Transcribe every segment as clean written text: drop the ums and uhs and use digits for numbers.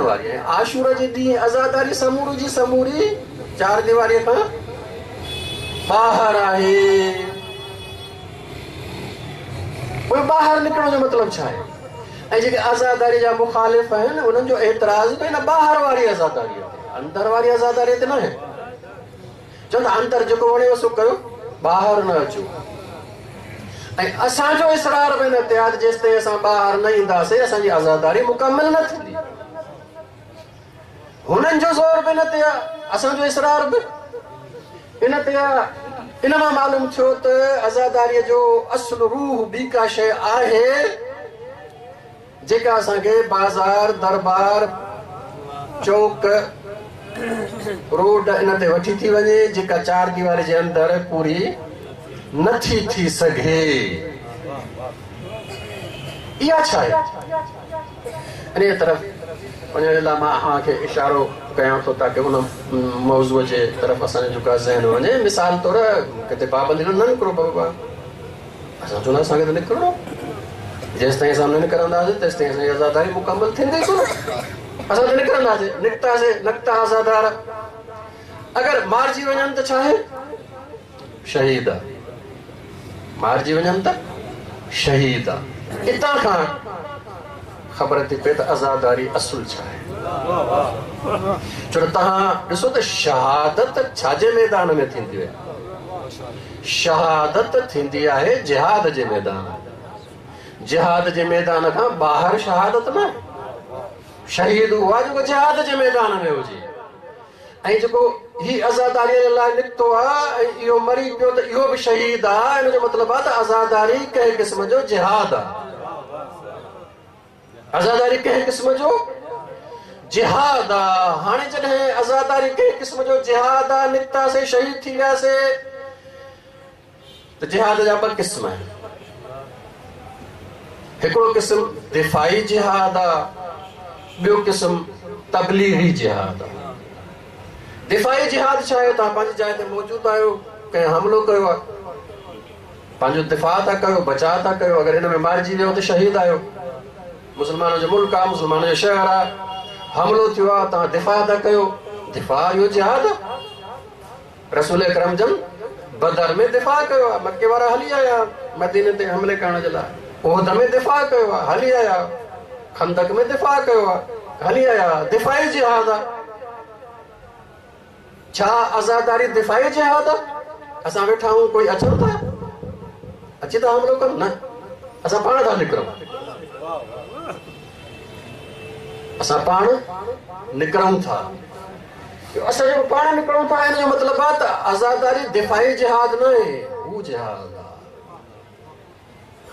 واري ۽ عاشور جي ڏينهن عزاداري سموري جي سموري چار ديواريء کان ٻاهر آهي. پوء ٻاهر نڪرڻ جو مطلب ڇا آهي؟ ۽ جيڪي عزاداريء جا مخالف آهن انهن جو اعتراض به ان ٻاهر واري عزاداريء تي، اندر واري عزاداريء تي ناهي. چون ٿا اندر جيڪو وڻيو سو ڪيو، ٻاهر نه اچو. ۽ اسان جو اصرار به ان تي آهي ته جيستائين اسان ٻاهر نه اينداسين اسان جي عزاداري مڪمل نه ٿيندي. هنن جو زور به ان تي آهي، اسان جو اصرار به ان تي آهي. ان مان معلوم ٿيو ته عزاداريء جو اصل روح ٻي ڪا شيء آهي جيڪا اسان کي بازار، دربار، چوڪ، روڊ ان تي وٺي ٿي وڃي، جيڪا چار ديواري جي اندر پوري نٿي ٿي سگهي. اها ڇا آهي؟ انهيء طرف وڃڻ جي لاء مان اوهان کي اشارو ڪيان ٿو تاڪه ان موضوع جي طرف اسان جو جيڪو آهي ذهن وڃي. مثال طور ڪٿي پابندي نه نڪرو بابا، اسان چوندا اسان کي ته نڪرڻو، جيستائين اسان نه نڪرنداسين تيستائين اسان جي عزاداري مڪمل ٿيندي ڪونه. اسان ته نڪرنداسين، نڪتاسين، نڪتا عزادار اگر مارجي وڃن ته ڇا آهي؟ شهيد آ. مارجي وڃن ته شهيد آ. اتان کان خبر ٿي پئي ته عزاداري اصل ڇا آهي. ڇو ته توهان ڏسو ته شهادت ڇا جي ميدان ۾ ٿيندي آهي؟ شهادت ٿيندي آهي جهاد جي ميدان ۾. جهاد جي ميدان کان ٻاهر شهادت نه. شهيد اهو آهي جيڪو جهاد جي ميدان ۾ هجي. ۽ جيڪو هي عزاداريء جي لاء نڪتو آ ۽ اهو مري پيو ته اهو به شهيد آ، ان جو مطلب آ ته عزاداري ڪنهن قسم جو جهاد آ. عزاداري ڪنهن قسم جو جهاد آ. هاڻي جڏهن عزاداري ڪنهن قسم جو جهاد آ، نڪتاسي شهيد ٿي وياسي ته جهاد جا ٻه قسم آهن. هڪڙو قسم دفاعي جهاد آ، ٻيو قسم تبليغي جهاد آ. دفاعي جهاد ڇا آهي؟ توهان پنهنجي جاء تي موجود آهيو، ڪنهن حملو ڪيو آ، پنهنجو دفاع ٿا ڪيو، بچاء ٿا ڪيو، اگر ان ۾ مارجي ويو ته شهيد آهيو. مسلمانن جو ملڪ آ، مسلمانن جو شهر آ، حملو ٿيو آ، توهان دفاع ٿا ڪيو، دفاع اهو جهاد آ. رسول اڪرم جن بدر ۾ دفاع ڪيو آ، مڪي وارا هلي آيا مديني تي حملي ڪرڻ جي لاء، احد ۾ دفاع ڪيو آ، هلي آيا، خندق ۾ دفاع ڪيو آ، هلي آيا، دفاعي جهاد آ. ڇا عزاداري دفاعي جهاد آ؟ اسان ويٺا آهيون ڪوئي اچن ٿا؟ اچي ٿا حملو ڪن؟ نه، اسان پاڻ ٿا نڪرون، اسان پاڻ نڪرون ٿا. اسان جيڪو پاڻ نڪرون ٿا ان جو مطلب آهي ته عزاداري دفاعي جهاد نه آهي، هو جهاد آهي.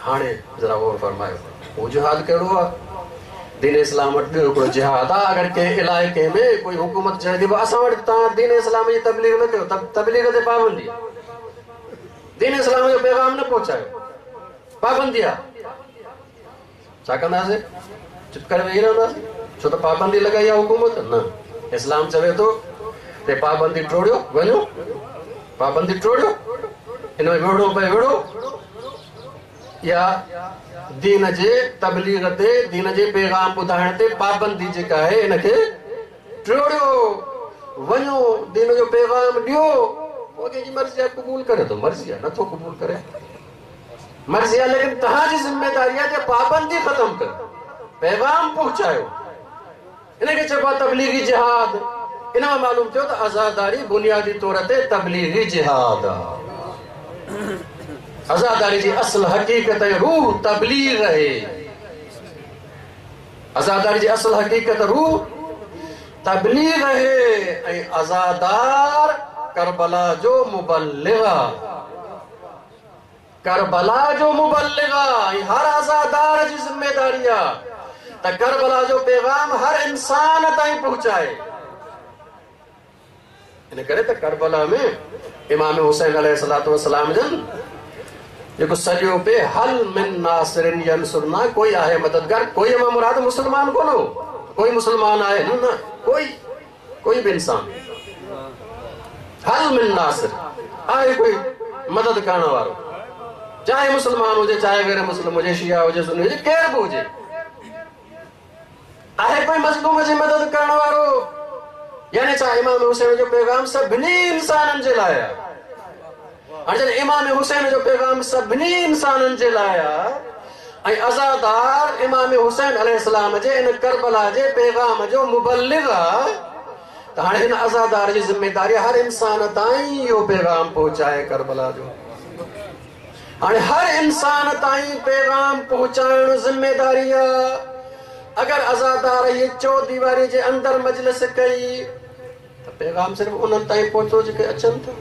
هاڻي ذرا غور فرمايو، هو جهاد ڪهڙو آهي؟ دين اسلام وٽ ٻيو هڪڙو جهاد آهي. اگر ڪنهن علائقي ۾ ڪوئي حڪومت چوي ٿي اسان وٽ توهان دين اسلام جي تبليغ نه ڪيو، تبليغ تي پابندي آهي، دين اسلام جو پيغام نه پهچايو، پابندي آهي، ڇا ڪنداسين؟ چپ ڪري ويهي رهنداسين؟ ڇو ته پابندي لڳائي آهي حڪومت؟ نه، اسلام چوي ٿو ته پابندي ٽوڙيو، وڃو پابندي ٽوڙيو، ان ۾ وڙهڻو پئي وڙهو. اها دين جي تبليغ تي، دين جي پيغام ٻڌائڻ تي پابندي جيڪا آهي ان کي ٽوڙيو، وڃو دين جو پيغام ڏيو، پوء ڪنهن جي مرضي آهي قبول ڪري ٿو، مرضي آهي نٿو قبول ڪري مرضي آهي، ليڪن توهان جي ذميداري آهي ته پابندي ختم ڪريو، پيغام پهچايو. ان کي چئبو آهي تبليغي جهاد. ان مان معلوم ٿيو ته عزاداري بنيادي طور تي تبليغي جهاد آهي. عزاداري جي اصل حقيقت ۽ روح تبليغ آهي. عزاداري جي اصل حقيقت روح تبليغ آهي ۽ عزادار ڪربلا جو مبلغ آهي. ڪربلا جو مبلغ آ ۽ هر عزادار جي ذميداري آ ته ڪربلا جو پيغام هر انسان تائين پهچائي. ان ڪري ته ڪربلا ۾ امام حسين عليه الصلوة والسلام جن جيڪو سڏيو پئي هل من ناصر ينصرنا، ڪوئي آهي مددگار؟ ڪوئي مان مراد مسلمان ڪونه هو، ڪوئي مسلمان آهي نه، نه، ڪوئي، ڪوئي به انسان، هل من ناصر، آهي ڪوئي مدد ڪرڻ وارو؟ چاهي مسلمان هجي، چاهي غير مسلم هجي، شيعه هجي، سني هجي، ڪير به هجي، آهي ڪوئي مظلوم جي مدد ڪرڻ وارو؟ يعني ڇا امام حسين جو پيغام سڀني انسانن جي لاء آهي؟ هاڻي جڏهن امام حسين جو پيغام سڀني انسانن جي لاء آهي ۽ عزادار امام حسين عليه السلام جي ان ڪربلا جي پيغام جو مبلغ آهي ته هاڻي هن عزادار جي ذميداري هر انسان تائين اهو پيغام پهچائي ڪربلا جو. هاڻي هر انسان تائين پيغام پهچائڻ ذميداري آ. اگر عزادار هيء چوديواري جي اندر مجلس ڪئي ته پيغام صرف انهن تائين پهتو جيڪي اچن ٿا،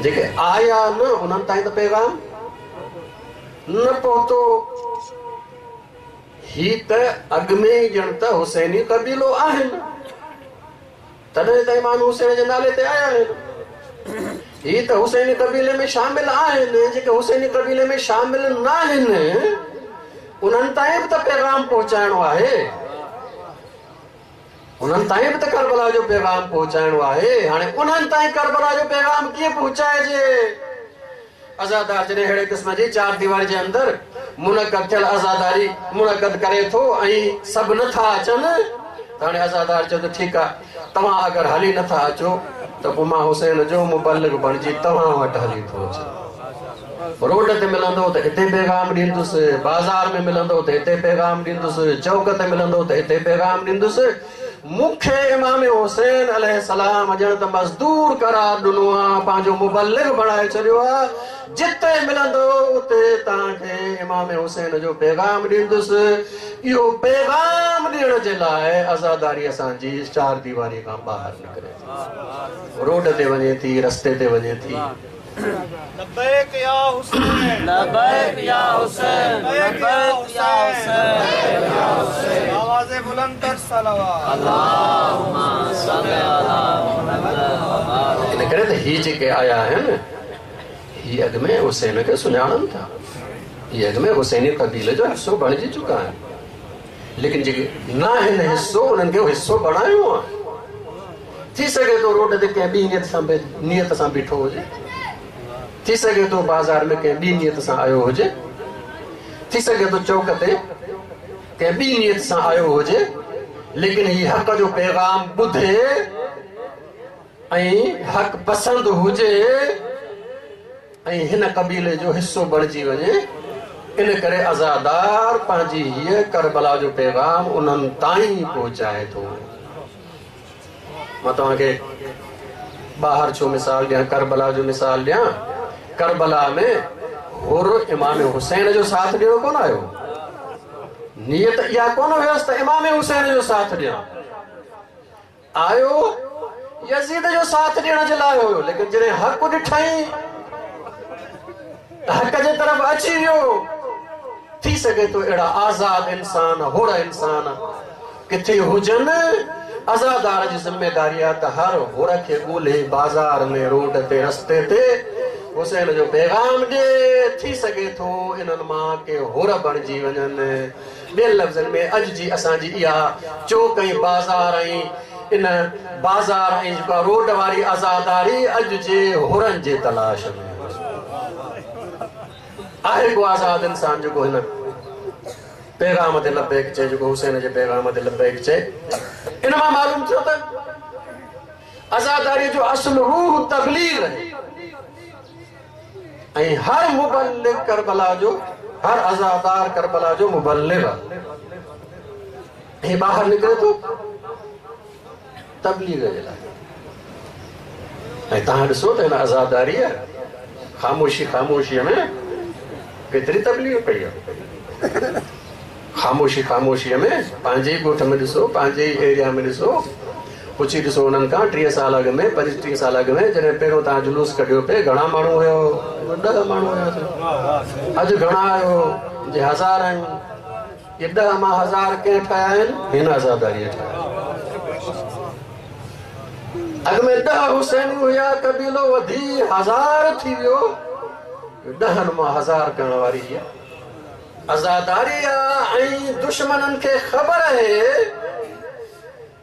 جيڪي آيا نه انهن تائين ته پيغام نه پهتو. هي ته اڳ ۾ ئي ڄڻ ته حسيني قبيلو آهن. تڏهن ته امام حسين جي نالي تي آيا آهن. هي ته حسيني قبيلي ۾ شامل آهن، جيڪي حسيني قبيلي ۾ شامل ناهن انهن تائين به ته پيغام پهچائڻو آهي، انهن تائين به ته ڪربلا جو پيغام پهچائڻو آهي. هاڻي انهن تائين ڪربلا جو پيغام ڪيئن پهچائجي؟ عزادار جڏهن اهڙي قسم جي چار ديواري جي اندر منعقد ٿيل عزاداري منعقد ڪري ٿو ۽ سڀ نه ٿا اچن ته هاڻي عزادار چيو ته ٺيڪ آ توهان اگر هلي نه ٿا اچو ته پوء مان حسين جو مبلغ بڻجي توهان وٽ هلي ٿو اچان. روڊ تي ملندو ته هتي پيغام ڏيندس، بازار ۾ ملندو ته هتي پيغام ڏيندس، چوڪ تي ملندو ته هتي پيغام ڏيندس. مون کي امام حسين عليه السلام ڄڻ ته مزدور قرار ڏنو آ، پنهنجو مبلغ بڻائي ڇڏيو آ، جتي ملندو اتي توهان کي امام حسين جو پيغام ڏيندس. اهو پيغام ڏيڻ جي لاء عزاداري اسان جي چار ديواري کان ٻاهر نڪري ٿي، روڊ تي وڃي ٿي، رستي تي وڃي ٿي. لبيڪ يا حسين لبيڪ يا حسين لبيڪ يا حسين آواز بلند تر صلوات اللهم صل علي محمد ان ڪري ته هي جيڪي آيا آهن هي اڳ ۾ حسين کي سڃاڻن ٿا، هي اڳ ۾ حسيني قبيلي جو حصو بڻجي چڪا آهن، ليڪن جيڪي ناهن حصو انهن کي حصو بڻايو آهي. ٿي سگهي ٿو روڊ تي ڪنهن ٻي نيت سان بيٺو هجي، ٿي سگهي ٿو بازار ۾ ڪنهن ٻي نيت سان آيو هجي، ٿي سگهي ٿو چوڪ تي ڪنهن ٻي نيت سان آيو هجي، ليڪن هي حق جو پيغام ٻڌي ۽ حق پسند هجي ۽ هن قبيلي جو حصو بڻجي وڃي، ان ڪري عزادار پنهنجي هيء ڪربلا جو پيغام انهن تائين پهچائي ٿو. مان توهان کي ٻاهر ڇو مثال ڏيان، ڪربلا جو مثال ڏيان. ڪربلا ۾ حر امام حسين جو ساٿ ڏيڻ ڪونه آيو. نيت اها ڪونه هيس ته امام حسين جو ساٿ ڏيان. آيو يزيد جو ساٿ ڏيڻ جي لاء هيو، ليڪن جڏهن حق ڏٺائين ته حق جي طرف اچي ويو. ٿي سگهي ٿو اهڙا آزاد انسان، حر انسان ڪٿي هجن، عزادار جي ذميداري آهي ته هر حر کي ڳولهي بازار ۾، روڊ تي، رستي تي حسين جو پيغام ڏي. ٿي سگهي ٿو انهن مان ڪي حر بڻجي وڃن. ٻين لفظن ۾ اڄ جي اسان جي اها چوڪ ۽ بازار ۽ ان بازار ۽ جيڪا روڊ واري عزاداري اڄ جي حرن جي تلاش ۾ آهي. ڪو آزاد انسان جيڪو هن پيغام تي لبيڪ چئي، جيڪو حسين جي پيغام تي لبيڪ چئي. ان مان معلوم ٿيو ته عزاداري جو اصل روح تبليغ آهي ۽ هر مبلغ ڪربلا جو، هر عزادار ڪربلا جو مبلغ آهي. هي ٻاهر نڪري ٿو تبليغ جي لاء. ۽ توهان ڏسو ته هن عزاداريء خاموشي خاموشيء ۾ ڪيتري تبليغ ڪئي آهي. خاموشي خاموشيء ۾ پنهنجي ئي ڳوٺ ۾ ڏسو، پنهنجي ئي ايريا ۾ ڏسو، پڇي ڏسو انهن کان 30 سال اڳ ۾، 35 سال اڳ ۾ جڏهن پهريون توهان جلوس ڪڍيو پئي گهڻا ماڻهو هيو؟ 10 ماڻهو هياسين. اڄ گهڻا آهيو؟ جي هزار آهيون. اهي 10 مان هزار ڪنهن ٺاهيا آهن؟ هن عزاداريء ٺاهيا آهن. اڳ ۾ 10 حسيني هيا، قبيلو وڌي هزار ٿي ويو. 10 مان هزار ڪرڻ واري هيء عزاداري آ ۽ دشمنن کي خبر آهي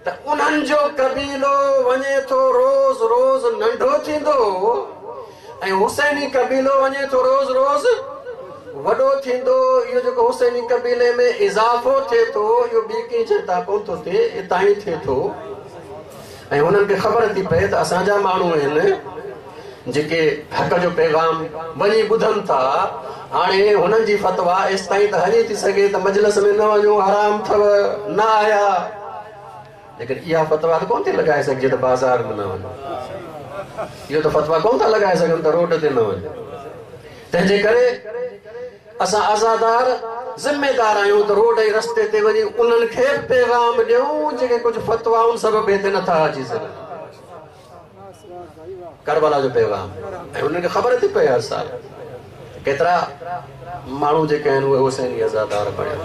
ته انهن جو قبيلو وڃي ٿو روز روز ننڍو ٿيندو ۽ حسيني قبيلو وڃي ٿو روز روز वॾो थींदो, इहो जेको हुसैनी क़बीले में इज़ाफ़ो थिए थो, इहो ॿी कंहिं शइ तां कोन थो थिए, हितां ई थिए थो। ऐं हुननि खे ख़बर थी पए त असांजा माण्हू आहिनि जेके हक़ जो पैगाम वञी ॿुधनि था। हाणे हुननि जी फतवा एसि ताईं त हली थी सघे त मजलिस में न वञो, हराम अथव, न आया। लेकिन इहा फतवा त कोन थी लॻाए सघिजे त बाज़ार में न वञो, इहो त फतवा कोन था लॻाए सघनि त रोड ते न वञो। तंहिंजे करे असां आज़ादार ज़िम्मेदार आहियूं त रोड ऐं रस्ते ते वञी उन्हनि खे बि पैगाम ॾियूं जेके कुझु फतवाउनि सबबु हिते नथा अची सघनि, करबला जो पैगाम। ऐं हुननि खे ख़बर थी पए हर साल केतिरा माण्हू जेके आहिनि उहे हुसैनी आज़ादार बणिया।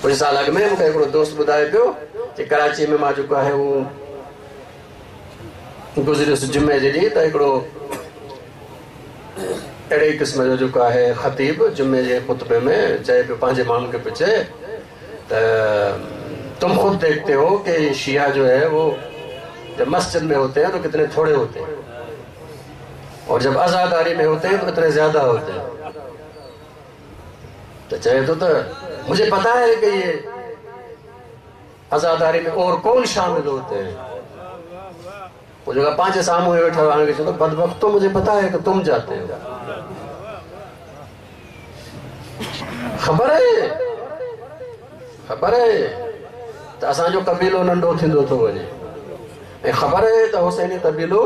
कुझु साल अॻु में मूंखे हिकिड़ो दोस्त ॿुधाए पियो की कराची में मां जेको आहे उहो गुज़रियुसि जुमे जे ॾींहुं, त हिकिड़ो अहिड़े ई क़िस्म जो जेको आहे ख़तीब जुमे जे ख़ुतबे में चए पियो पंहिंजे माण्हुनि खे पियो चए त तुम ख़ुद देखते हो कि शिया जो है वो जब मस्जिद में होते हैं तो कितने थोड़े होते हैं और जब आज़ादारी में होते हैं तो कितने ज़्यादा होते हैं। तो चए तो मुझे पता है कि ये आज़ादारी में और कौन शामिल होते हैं। वो जगह पांच साम्हूं वेठा हाणे चयो बदबख्त तो मुझे पता है कि तुम जाते हो, ख़बर है, ख़बर है त असांजो क़बीलो नंढो थींदो थो वञे ऐं ख़बर है त हुसैनी क़बीलो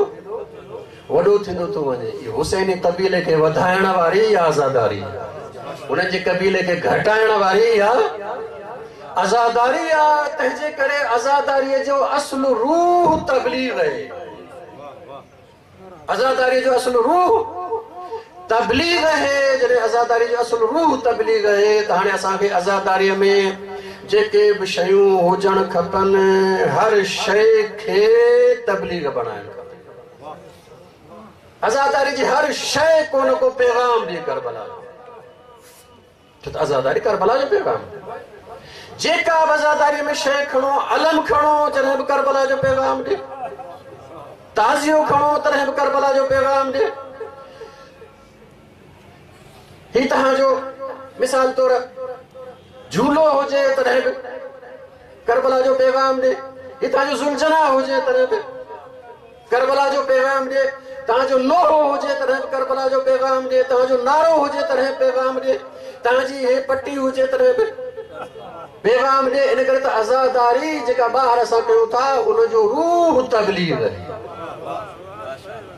वॾो थींदो थो वञे। इहो हुसैनी क़बीले खे वधाइण वारी या आज़ादारी, हुननि जे क़बीले खे घटाइण वारी या आज़ादारी आहे। तंहिंजे करे आज़ादारीअ जो असुलु रूह तबलीग आहे, आज़ादारीअ जो असुलु रूह तबलीग आहे। जॾहिं आज़ादारी जो असुलु रूह तबलीग आहे त हाणे असांखे आज़ादारीअ में जेके बि शयूं हुजणु खपनि हर शइ खे तबलीग बणाइणु खपे। आज़ादारी जी हर शइ को न को पैगाम ॾिए करबला जो, छो त आज़ादारी करबला जो पैगाम। जेका बि आज़ादारीअ में शइ खणो, अलम खणो तॾहिं बि करबला जो पैगाम ॾिए, ताज़ियो खणो तॾहिं बि करबला जो पैगाम ॾिए। ही तव्हांजो मिसाल तौरु झूलो हुजे तॾहिं बि करबला जो पैगाम ॾिए, ही तव्हांजो ज़ुलजना हुजे तॾहिं बि करबला जो पैगाम ॾिए, तव्हांजो लोहो हुजे तॾहिं बि करबला जो पैगाम ॾिए, तव्हांजो नारो हुजे तॾहिं पैगाम ॾिए, तव्हांजी हे पट्टी हुजे तॾहिं बि पैगाम ॾिए। इन करे त आज़ादारी जेका ॿाहिरि असां कयूं था उनजो रूह तबलीग आहे।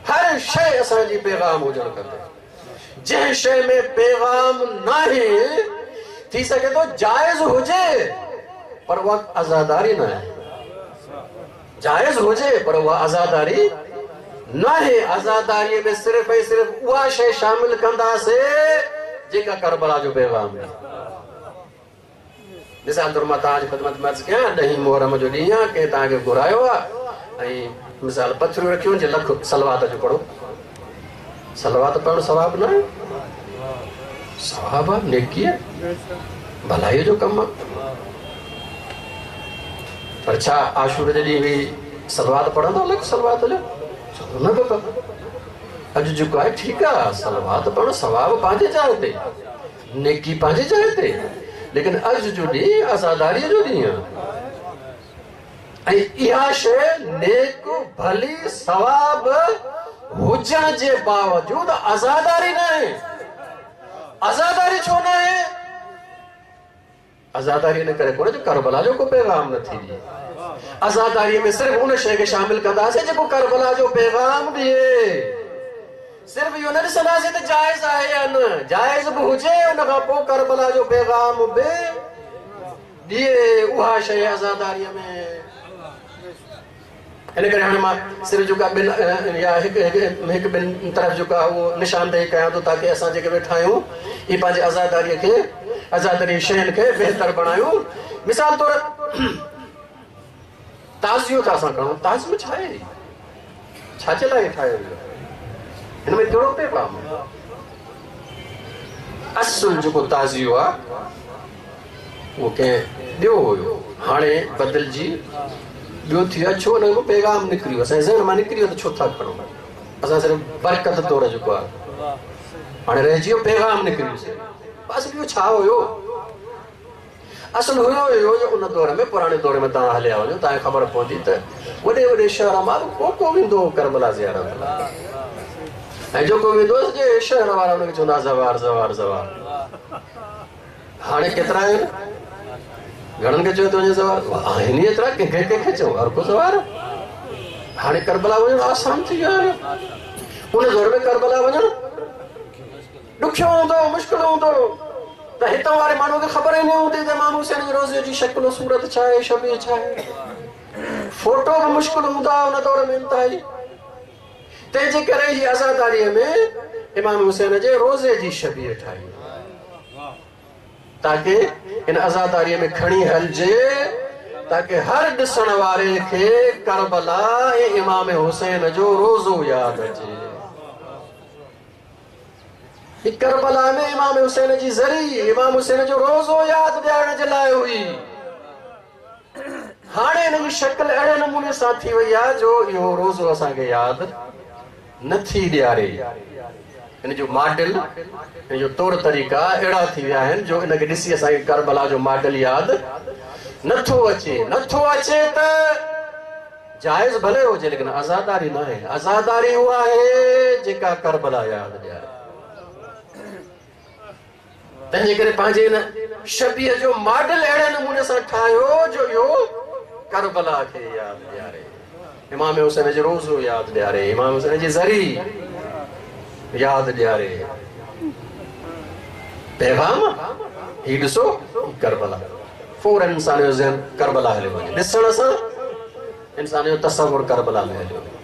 हर शइ असांजी पैगाम हुजणु खपे। जंहिं शइ में पैगाम नाहे थी सघे थो जाइज़ हुजे पर उहा आज़ादारी न आहे, जाइज़ हुजे पर उहा आज़ादारी न आहे। आज़ादारीअ में सिर्फ़ ऐं सिर्फ़ उहा शइ शामिल कंदासीं जेका करबला जो पैगाम आहे। मिसाल तौरु मां तव्हांजी ख़िदमत में अर्ज़ु कयां, ॾहीं मुहर्रम जो ॾींहुं आहे, कंहिं तव्हांखे घुरायो आहे ऐं मिसाल पथरियूं रखियूं जे लख सलवात जो पढ़ो। सलवात पढ़णु सवाब न आहे, सवाब आहे, नेकी आहे, भलाई जो कमु आहे। पर छा आशूर जे ॾींहुं बि सलवात पढ़ंदो लख सलवात जो? न बाबा, अॼु जेको आहे ठीकु आहे, सलवात पढ़णु सवाब पंहिंजे जाइ ते, नेकी पंहिंजे जाइ ते, लेकिन अॼु जो ॾींहुं आज़ादारीअ जो ॾींहुं आहे ऐं इहा शइ नेक भली सवाब हुजण जे बावजूद आज़ादारी न आहे। आज़ादारी छो न आहे? आज़ादारी इन करे कोन्हे जो करबला जो को पैगाम न थी ॾिए। आज़ादारीअ में सिर्फ़ उन शइ खे शामिल कंदासीं जेको करबला जो पैगाम ॾिए। सिर्फ़ इहो न ॾिसंदासीं त जाइज़ आहे या न, जाइज़ बि हुजे उन खां पोइ करबला जो पैगाम बि ॾिए, उहा शइ आज़ादारीअ में। इन करे हाणे मां सिर्फ़ जेको ॿिनि या हिकु ॿिनि तरफ़ जेको आहे उहो निशानदेही कयां थो ताकी असां जेके वेठा आहियूं इहे पंहिंजे आज़ादारीअ खे, आज़ादारी शयुनि खे बहितर बणायूं। मिसाल तौरु ताज़ियो था असां खणूं, ताज़ियो छा आहे, छाजे लाइ ठाहियो वियो, हिन में कहिड़ो पैगाम आहे? असुलु जेको ताज़ियो आहे उहो कंहिं ॿियो हुयो, हाणे बदिलजी ॿियो थी वियो आहे। छो हिन मां पैगाम निकिरी वियो, असांजे ज़हन मां निकिरी वियो त छो था खणूं असां सिर्फ़ बरकत तौरु जेको आहे। हाणे रहिजी वियो पैगाम निकिरी वियो। असल इहो छा हुयो? असल हुयो इहो जो उन दौर में, पुराणे दौर में तव्हां हलिया वञो, तव्हांखे ख़बर पवंदी त वॾे वॾे शहर मां को को वेंदो हो करबला ज़ियारत लाइ, ऐं जेको वेंदो हो सॼे शहर वारा हुनखे चवंदा ज़वार ज़वार ज़वार। हाणे केतिरा आहिनि? घणनि खे चयो थो वञे ज़वार? आहिनि ई एतिरा, कंहिंखे कंहिंखे चऊं, हर को ज़वार। हाणे करबला वञणु आसान थी वियो आहे। उन दौर में करबला वञणु ॾुखियो हूंदो, मुश्किल हूंदो। त हितां वारे माण्हू खे ख़बर ई न हूंदी त इमाम हुसैन जे रोज़े जी शक्ल सूरत छा आहे, शबीह छा आहे। फोटो बि मुश्किल हूंदा उन दौर में इंतिहाई। तंहिंजे करे ही आज़ादारीअ में इमाम हुसैन जे रोज़े जी शबीह ठाही, ताकी इन आज़ादारीअ में खणी हलजे, ताकी हर ॾिसण वारे खे करबला ऐं इमाम हुसैन जो रोज़ो यादि अचे। करबला में इमाम हुसैन जी ज़री इमाम हुसैन जो रोज़ो यादि ॾियारण जे लाइ हुई। हाणे हिन जी शक्ल अहिड़े नमूने सां थी वई आहे जो इहो रोज़ो असांखे यादि नथी ॾियारे। हिन जो मॉडल, हिन जो तौर तरीक़ा अहिड़ा थी विया आहिनि जो इनखे ॾिसी असांखे करबला जो मॉडल यादि नथो अचे। नथो अचे त जाइज़ भले हुजे, लेकिन आज़ादारी न आहे। आज़ादारी उहा आहे जेका करबला यादि ॾियारे। तंहिंजे करे पंहिंजे हिन शबीह जो मॉडल अहिड़े नमूने सां ठाहियो जो इहो करबला खे यादि ॾियारे, इमाम हुसैन जो रोज़ो यादि ॾियारे, इमाम हुसैन जी ज़री यादि ॾियारे। पैगाम ही ॾिसो करबला, फ़ौरन इंसान जो ज़हन करबला हलियो वञे। ॾिसण सां इंसान जो तसवुर करबला में हलियो वञे।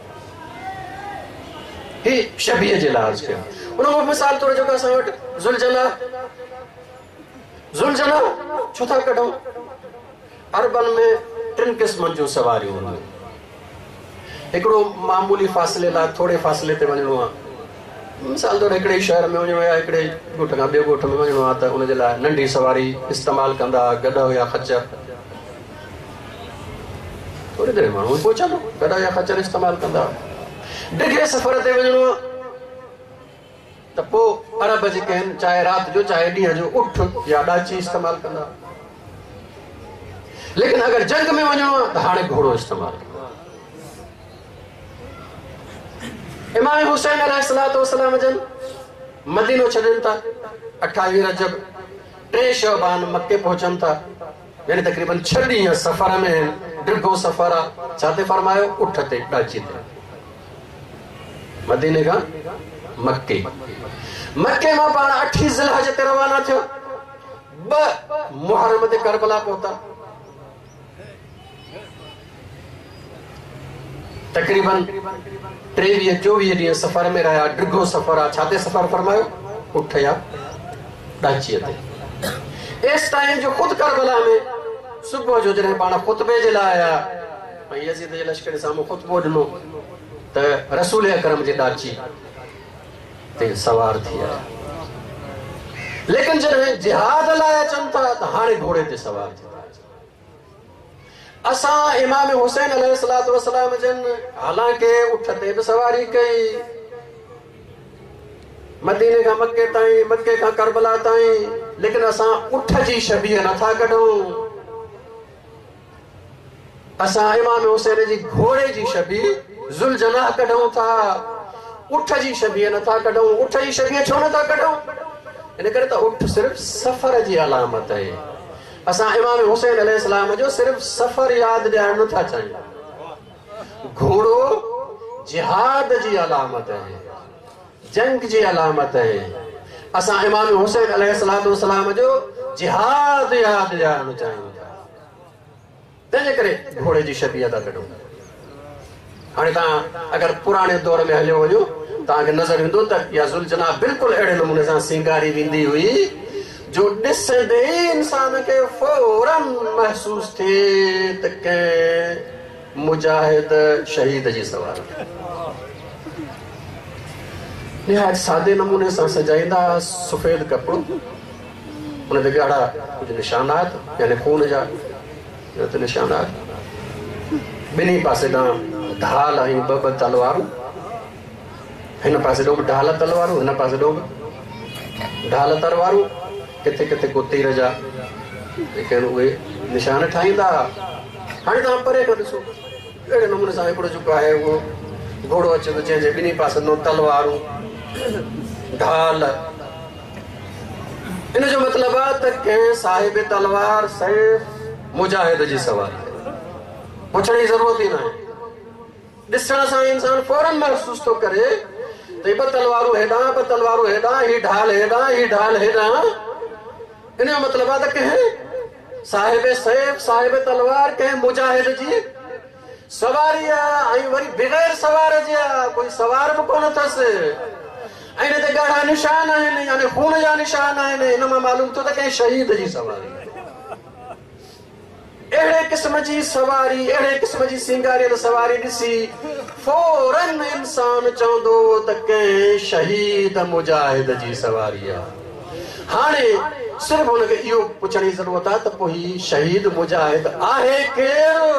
ही शबीह जे लाइ अर्ज़ु कयो। उन खां मिसाल तौर जेको असां वटि ज़ुलजना, ज़ुलजना छो था कढूं? अरबनि में टिनि क़िस्मनि जूं सवारियूं हूंदियूं। हिकिड़ो मामूली फ़ासिले लाइ थोरे फ़ासिले ते वञिणो आहे, मिसाल तौरु हिकिड़े शहर में वञिणो आहे या हिकिड़े ॻोठ खां ॿिए ॻोठ में वञिणो आहे त उनजे लाइ नंढी सवारी इस्तेमालु कंदा, गॾो या ख़चर। थोरी देरि माण्हू पहुचंदो, गॾो या ख़चर इस्तेमालु कंदा। डिघे सफ़र ते वञिणो आहे त पोइ अरब जेके आहिनि, चाहे राति जो चाहे ॾींहं जो, उठ या ॾाची इस्तेमालु कंदा। लेकिन अगरि जंग में वञिणो आहे त हाणे घोड़ो इस्तेमालु कंदा। इमाम हुसैन अलैहिस्सलाम जन मदीनो छॾनि था, 28 रजब 3 शबान मक्के पहुचनि था, यानी तक़रीबन 6 ॾींहं सफ़र में आहिनि, डिघो सफ़र आहे। छा ते फरमायो? उठ ते, ॾाची ते, मदीने खां मक्के। मक्के मां पाण 8 ज़िलहज ते रवाना थियो, 2 मुहर्रम ते करबला पहुता। तक़रीबन 23-24 ॾींहं सफ़र में रहिया, डिघो सफ़र आहे। छा ते सफ़र फरमायो? उठ या ॾाचीअ ते। एसि ताईं जो ख़ुदि करबला में सुबुह जो जॾहिं पाण ख़ुतबे जे लाइ आया ऐं यज़ीद जे लश्कर जे साम्हूं ख़ुतबो ॾिनो त रसूल अकरम जे ॾाची ते सवार थी आया। लेकिन जॾहिं जिहाद लाइ अचनि था त हाणे घोड़े ते सवार थी था अचनि। असां इमाम हुसैन अलैहिस्सलाम जन हालांकि उठ ते बि सवारी कई, मदीने खां मक्के ताईं, मक्के खां करबला ताईं, लेकिन असां उठ जी शबीह नथा कढूं। असां इमाम हुसैन जी घोड़े जी शबीह ज़ुलजना कढूं था, उठ जी शबीह नथा कढूं। उठ जी शबीह छो नथा कढूं? इन करे त उठ सिर्फ़ सफ़र जी अलामत आहे। असां इमाम हुसैन अलैहिस्सलाम जो सिर्फ़ सफ़र यादि ॾियारणु नथा चाहियूं। घोड़ो जिहाद जी अलामत आहे, जंग जी अलामत आहे। असां इमाम हुसैन अलैहिस्सलाम जो जिहाद यादि ॾियारणु चाहियूं था, तंहिंजे करे घोड़े जी शबीह था कढूं। हाणे तव्हां अगरि पुराणे दौर में हलियो वञो, तव्हांखे नज़र ईंदो त इहा ज़ुलजना बिल्कुलु अहिड़े नमूने सां सींगारी वेंदी हुई जो ॾिसंदे ई इंसान खे फ़ौरन महसूसु थिए त कंहिं मुजाहिद शहीद जी सवारी। निहायत सादे नमूने सां सजाईंदा, सफ़ेदु कपिड़ो, उन ते ॻाढ़ा कुझु निशानात, यानी खून जा निशानात, ॿिन्ही पासे ॾांहुं ढाल ऐं ॿ ॿ तलवारूं, हिन पासे ॾांहुं बि ढाल तलवारूं, हिन पासे ॾांहुं बि ढाल तलवारूं, किथे किथे को तीर जा जेके आहिनि उहे निशान ठाहींदा। हाणे तव्हां परे खां ॾिसो, अहिड़े नमूने सां हिकिड़ो जेको आहे उहो घोड़ो अचे थो, जंहिंजे ॿिन्ही पासनि तलवारूं ढाल। इन जो मतिलबु आहे त कंहिं साहिब तलवार सैफ मुजाहिद जी सवारी, पुछण जी ज़रूरत ई न आहे। ॾिसण सां इंसान फ़ौरन महसूसु थो करे त ॿ तलवारूं हेॾां, ॿ तलवारूं हेॾां, हीअ ढाल हेॾां, हीअ ढाल हेॾां। इन जो मतिलबु आहे त कंहिं साहिब सैफ साहिब तलवार कंहिं मुजाहिद जी सवारी आहे, ऐं वरी बग़ैर सवार जे आहे, कोई सवार बि कोन अथसि। ऐं हिन ते ॻाढ़ा निशान आहिनि, यानी खून जा निशान आहिनि। हिन मां मालूम थियो त कंहिं शहीद जी सवारी। अहिड़े क़िस्म जी सवारी, अहिड़े क़िस्म जी सिंगारियल सवारी ॾिसी फ़ौरन इंसान चवंदो त कंहिं शहीद मुजाहिद जी सवारी आहे। हाणे सिर्फ़ हुनखे इहो पुछण जी ज़रूरत आहे त पोइ हीउ शहीद मुजाहिद आहे केरु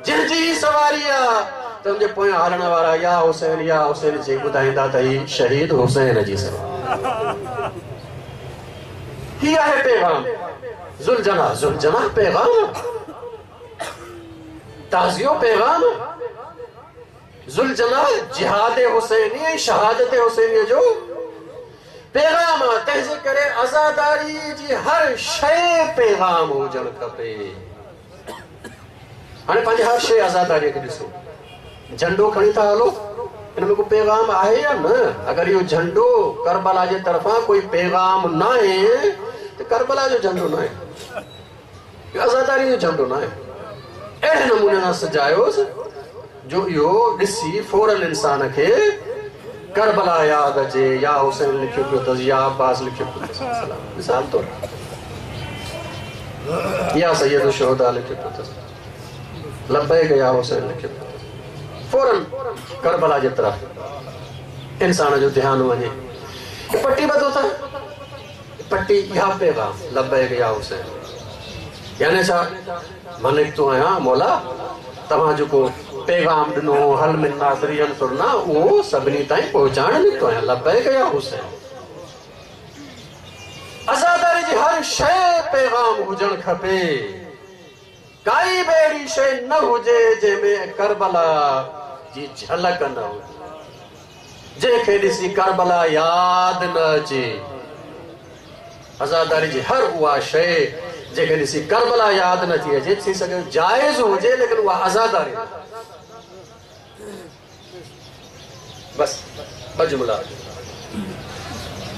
जंहिंजी सवारी आहे? त हुनजे पोयां हलण वारा या हुसैन चई ॿुधाईंदा त हीउ शहीद हुसैन जी सवारी। हीउ आहे पैगाम ज़ुलजना, ज़ुलजना पैगाम, ताज़ियो पैगाम। ज़ुलजना जिहाद हुसैनी ऐं शहादत हुसैनीअ जो पैगाम आहे। तंहिंजे करे आज़ादारी जी हर शइ पैगाम हुजणु खपे। हाणे पंहिंजी हर शइ आज़ादारीअ खे ॾिसो, झंडो खणी था हलो, हिन में को पैगाम आहे या न? अगरि इहो झंडो करबला जे तरफ़ां कोई पैगाम न आहे त करबला जो झंडो न आहे, इहो आज़ादारी जो झंडो न आहे। अहिड़े नमूने सां सजायोसि जो इहो ॾिसी फ़ौरन इंसान खे करबला यादि अचे, या हुसैन लिखियो पियो अथसि, या अब्बास लिखियो पियो अथसि, मिसाल तौरु या सैयद शोहदा लिखियो पियो अथसि, लब्बैक या हुसैन लिखियो पियो अथसि। फ़ौरन करबला जे तरफ़ इंसान जो ध्यानु वञे। पट्टी ॿधो था, पट्टी इहा पैगाम लब्बैक या हुसैन, यानी छा मां निकितो आहियाँ मौला, तव्हां जेको पैगाम ॾिनो हल मिन नासिरी यंसुरना, उहो सभिनी ताईं पहुचाइण निकितो आहियाँ, लब्बैक या हुसैन। आज़ादारी जी हर शइ पैगाम हुजणु खपे, काई बि अहिड़ी शइ न हुजे जंहिंमें करबला जी झलक न हुजे, जंहिंखे ॾिसी करबला यादि न अचे। आज़ादारी जी हर उहा शइ जंहिंखे ॾिसी करबला यादि न थी अचे, थी सघे जाइज़ हुजे लेकिन उहा आज़ादारी। बसि ॿ जुमिला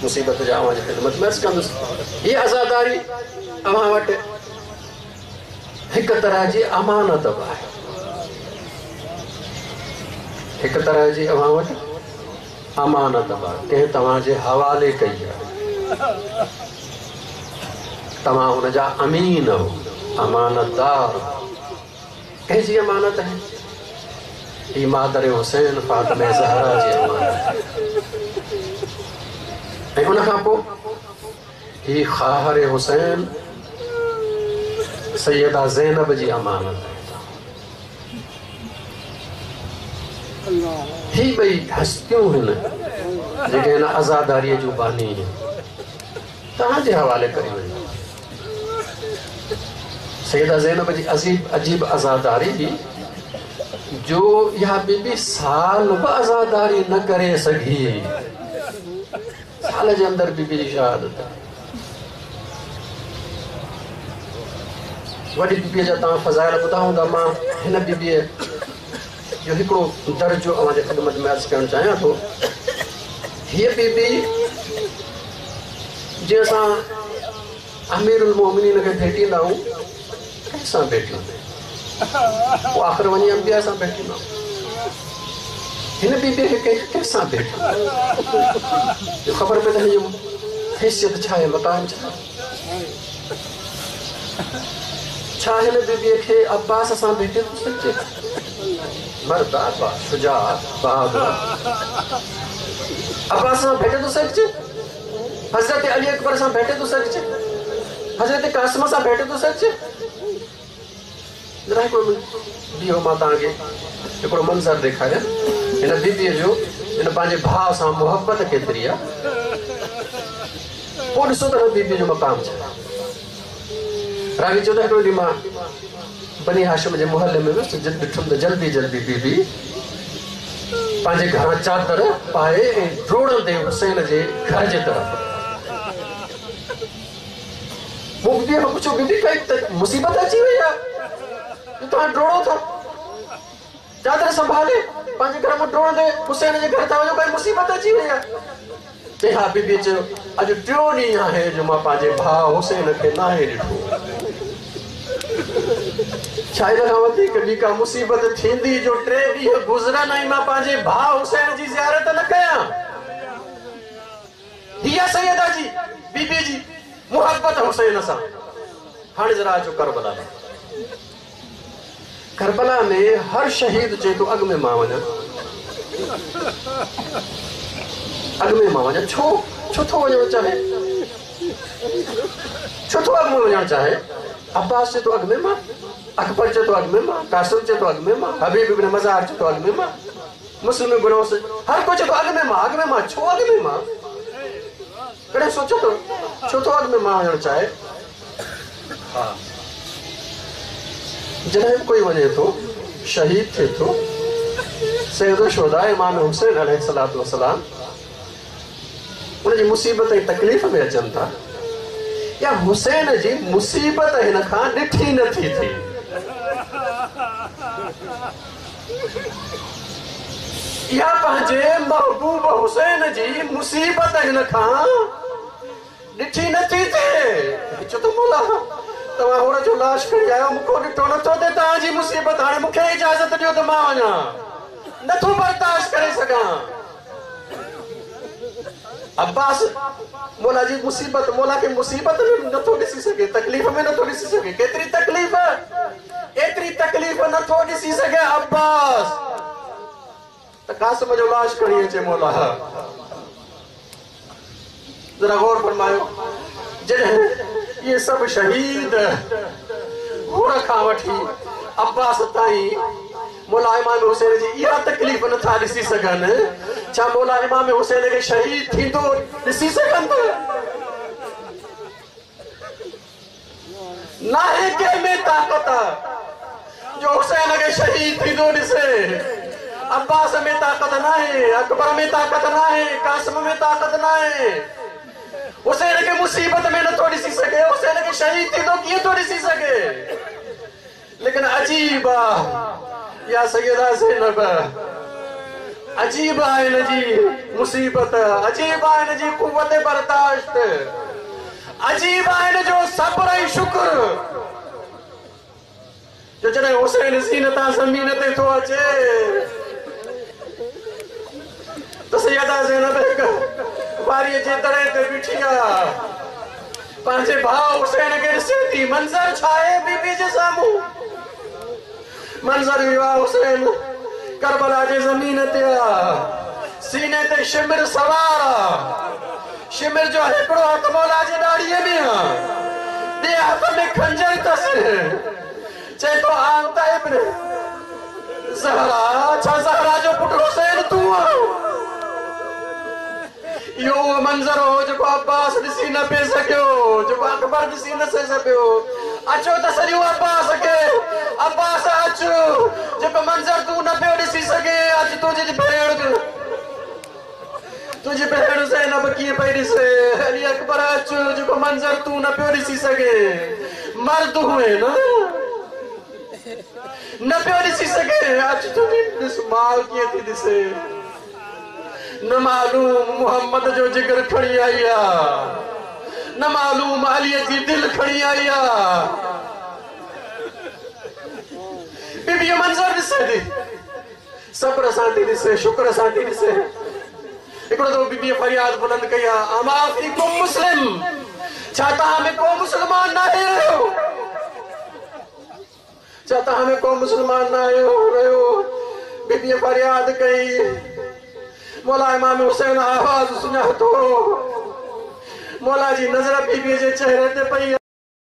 मुसीबत जा अव्हां जी ख़िदमत में अर्ज़ु कंदुसि। हीअ आज़ादारी अव्हां वटि हिकु तरह जी अमानत बि आहे, हिकु तरह जी अव्हां वटि अमानत बि आहे, कंहिं तव्हांजे हवाले कई आहे, तव्हां हुनजा अमीन हो, अमानतदार। कंहिंजी अमानत आहे? हीअ मादर हुसैन फ़ातिमा ज़हरा जी अमानत। ऐं उन खां पोइ हीअ ख़ाहर हुसैन सैयदा ज़ैनब जी अमानत आहे। ही ॿई हस्तियूं आहिनि जेके हिन आज़ादारीअ जूं बानी आहिनि, तव्हांजे हवाले करी वञो। सैयदा ज़ैनब जी अजीब अजीब आज़ादारी हुई जो इहा बीबी साल बि आज़ादारी न करे सघी, साल जे अंदरि बीबी जी शहादत। वॾी बीबीअ जा तव्हां फ़ज़ाइल ॿुधा हूंदा, मां हिन बीबीअ जो हिकिड़ो दर्जो अव्हांजे ख़िदमत में अर्ज़ु करणु चाहियां थो। हीअ बीबी जीअं असां अमीरुल मोमिनीन खे भेटींदा आहियूं, कंहिंसां भेटियूं? पोइ आख़िर वञी अंबिया सां भेटींदा। हिन बीबीअ खे कंहिंसां भेटियूं? जो ख़बर पए त हिन जो हैसियत छा आहे, मक़ाम छा आहे। छा हिन बीबीअ खे अब्बास सां भेटे थो सघिजे? मर्द अब्बास शुजा बहादुर, अब्बास सां भेटे थो सघिजे? हज़रत अली अकबर सां भेटे थो सघिजे? हज़रत कासिम सां भेटे थो सघिजे? ज़रा हिकिड़ो बीहो, मां तव्हांखे हिकिड़ो मंज़र ॾेखारियाँ। हिन बीबीअ जो हिन पंहिंजे भाउ सां मुहबत केतिरी आहे। पोइ ॾिसो त बीबी जो मक़ाम छा। रावी चयो त हिकिड़ो ॾींहुं मां बनी हाशिम जे मोहल्ले में वियुसि, ॾिठुमि त जल्दी जल्दी बीबी पंहिंजे घरां चादर पाए ऐं ड्रोड़ंदे हुसैन जे घर जे तरफ़। मूं बीबीअ खां पुछियो, बीबी काई मुसीबत अची वई आहे, तव्हां ड्रोड़ो था, चादर संभाले पंहिंजे घर मां ड्रोड़ंदे हुसैन जे घर था वञो, काई मुसीबत अची वई आहे? चई हा। बीबीअ चयो, अॼु टियों ॾींहुं आहे जो मां पंहिंजे भाउ हुसैन खे नाहे ॾिठो। छा इन खां वधीक ॿी का मुसीबत थींदी जो टे ॾींहं गुज़रनि ऐं मां पंहिंजे भाउ हुसैन जी ज़ियारत न कयां? हीअ सैयदा जी बीबी जी मुहबत हुसैन सां। हाणे ज़रा अचो करबला में। करबला में हर शहीद चए थो अॻु में मां वञा, अॻु में मां वञा। छो छो थो वञणु चाहे? छो थो अॻु में वञणु चाहे? अब्बास चए थो अॻु में मां, अकबर चए थो अॻु में मां, कासिम चए थो अॻु में मां, हबीब इब्न मज़ार चए थो अॻु में मां, मुस्लिम इब्न हर को चए थो अॻु में मां, अॻु में मां। छो अॻु में मां? कॾहिं सोचो तो छो थो अॻु में मां वञणु चाहे? हा, जॾहिं बि कोई वञे थो, शहीद थिए थो, सैयद शुहदा इमाम हुसैन अलैहिस्सलातु वस्सलाम उनजी मुसीबत ऐं तकलीफ़ में अचनि था, या हुसैन जी मुसीबत हिन खां ॾिठी नथी थिए। इहा पंहिंजे महबूब हुसैन जी मुसीबत हिन खां ॾिठी नथी थिए। चओ त मौला तव्हां हुन जो लाश खणी आयो, मूंखां ॾिठो नथो थिए तव्हांजी मुसीबत, हाणे मूंखे इजाज़त ॾियो त मां वञा, नथो बर्दाश्त करे सघां। अब्बास मौला जी मुसीबत, मौला खे मुसीबत में नथो ॾिसी सघे, तकलीफ़ में नथो ॾिसी सघे। केतिरी तकलीफ़, एतिरी तकलीफ़ नथो ॾिसी सघे अब्बास, त कासिम जो लाश खणी अचे मौला। ज़रा गौर फरमायो, जॾहिं इहे सभु शहीद हुन खां वठी अब्बास ताईं मौला इमाम हुसैन जी इहा तकलीफ़ नथा ॾिसी सघनि, छा मौला इमाम हुसैन खे शहीद थींदो ॾिसी सघनि था? नाहे कंहिं में ताक़त जो हुसैन खे शहीद थींदो ॾिसे। अब्बास में ताक़त नाहे, अकबर में ताक़त नाहे, कासिम में ताक़त नाहे। हुसैन खे मुसीबत में नथो ॾिसी सघे, हुसैन खे शहीद थींदो कीअं थो ॾिसी सघे? लेकिन अजीब आहे या सैयदा ज़ैनब, अजीब आहे हिन जी मुसीबत, अजीब आहे हिन जी कुव्वत बर्दाश्त, अजीब आहे हिन जो सब्र ऐं शुक्र, जो जॾहिं हुसैन ज़ीन तां ज़मीन ते थो अचे त सैयदा ज़ैनब हिकु वारीअ जे दड़े ते बीठी आहे, पंहिंजे भाउ हुसैन खे ॾिसे थी। मंज़र छा आहे बीबी जे साम्हूं? मंज़र इहो आहे, हुसैन करबला जे ज़मीन ते आहे, सीने ते शिमिर सवार आहे, शिमिर जो हिकिड़ो हथु मौला जे ॾाढ़ीअ में आहे, ॿिए हथ में खंजर अथसि। चए थो आंता इब्न ज़हरा, छा ज़हरा जो पुटु हुसैन तूं आहीं? इहो उहो मंज़र हो जेको अब्बास ॾिसी न पिए सघियो, जेको अकबर ॾिसी न सघियो। अचो त सॼो अब्बास खे, अब्बास अचो, जेको मंज़र तूं न पियो ॾिसी सघे, अॼु तुंहिंजी भेण ज़ैनब कीअं पई ॾिसे। अली अकबर अचो, जेको मंज़र तूं न पियो ॾिसी सघे, मर्द हुए न न पियो ॾिसी सघे, अॼु तुंहिंजी ॾिस माउ कीअं थी ॾिसे। न मालूम मोहम्मद जो जिगर खणी आई आहे, न मालूम अलीअ जी दिलि खणी आई आहे। बीबी इहो मंज़र ॾिसे थी, सब्र सां थी ॾिसे, शुक्र सां थी ॾिसे। हिकिड़ो दफ़ो बीबीअ फ़रियाद बुलंद कई आहे, अमा फीकुम मुस्लिम, छा तव्हां में को मुसलमान नाहे रहियो? छा तव्हां में को मुसलमान नाहे रहियो? बीबीअ फ़रियाद कई, मौला इमाम हुसैन आवाज़ सुञातो, मौला जी नज़र बीबीअ जे चेहरे ते पई।